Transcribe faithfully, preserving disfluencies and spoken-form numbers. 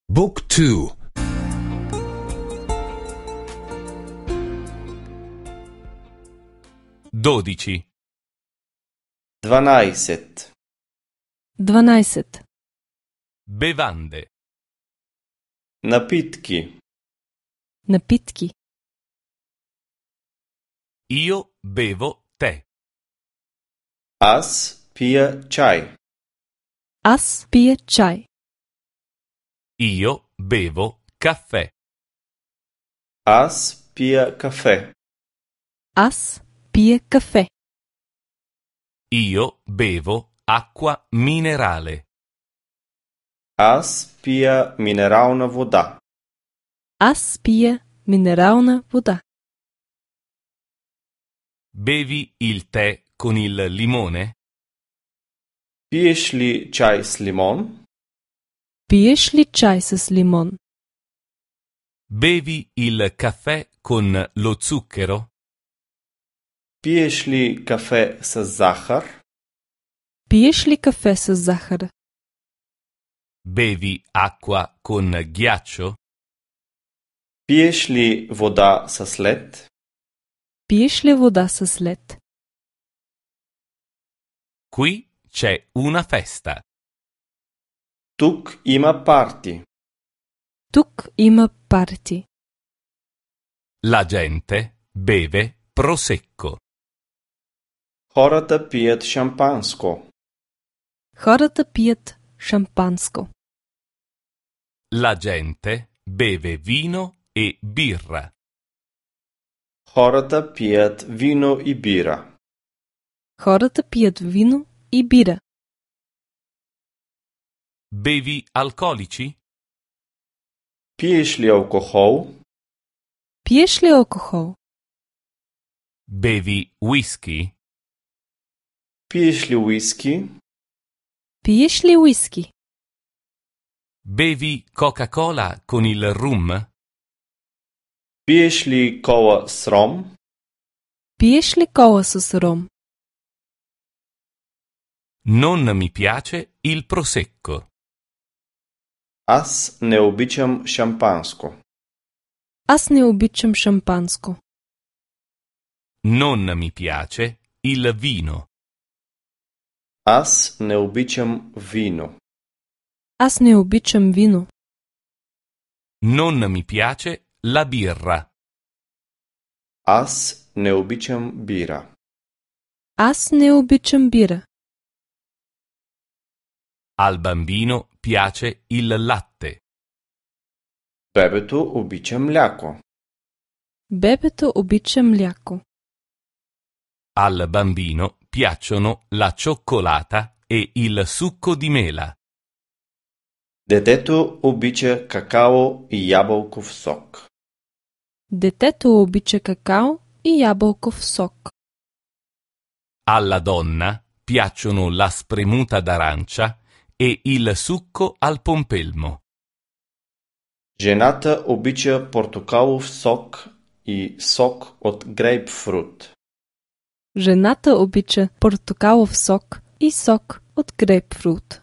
Book two. Dodici. Dvanajset. Dvanajset. Bevande. Napitki. Napitki. Io bevo tè. Аз пия чай. Аз пия чай. Io bevo caffè. Аз пия кафе. Аз пия кафе. Io bevo acqua minerale. Аз пия минерална вода. Аз пия минерална вода. Bevi il tè con il limone? Пиеш ли чай с лимон? Пиеш ли чай с лимон? Bevi il caffè con lo zucchero? Пиеш ли кафе с захар? Пиеш ли кафе с захар? Bevi acqua con ghiaccio? Пиеш ли вода с лед? Пиеш ли вода с лед? Qui c'è una festa. Тук има парти. Тук има парти. La gente beve prosecco. Хората пият шампанско. Хората пият шампанско. La gente beve vino e birra. Хората пият вино и бира. Хората пият вино и бира. Bevi alcolici? Пиеш ли алкохол? Пиеш ли алкохол? Bevi whisky? Пиеш ли уиски? Пиеш ли уиски? Bevi Coca-Cola con il rum? Пиеш ли кола с ром? Пиеш ли кола с ром? Non mi piace il prosecco. Аз не обичам шампанско. Аз не обичам шампанско. Non mi piace il vino. Аз не обичам вино. Аз не обичам вино. Non mi piace la birra. Аз не обичам бира. Аз не обичам бира. Al bambino piace il latte. Бебето обича мляко. Бебето обича мляко. Al bambino piacciono la cioccolata e il succo di mela. Детето обича какао и ябълков сок. Детето обича какао и ябълков сок. Alla donna piacciono la spremuta d'arancia e il succo al pompelmo. Жената обича портокалов сок и сок от грейпфрут. Жената обича портокалов сок и сок от грейпфрут.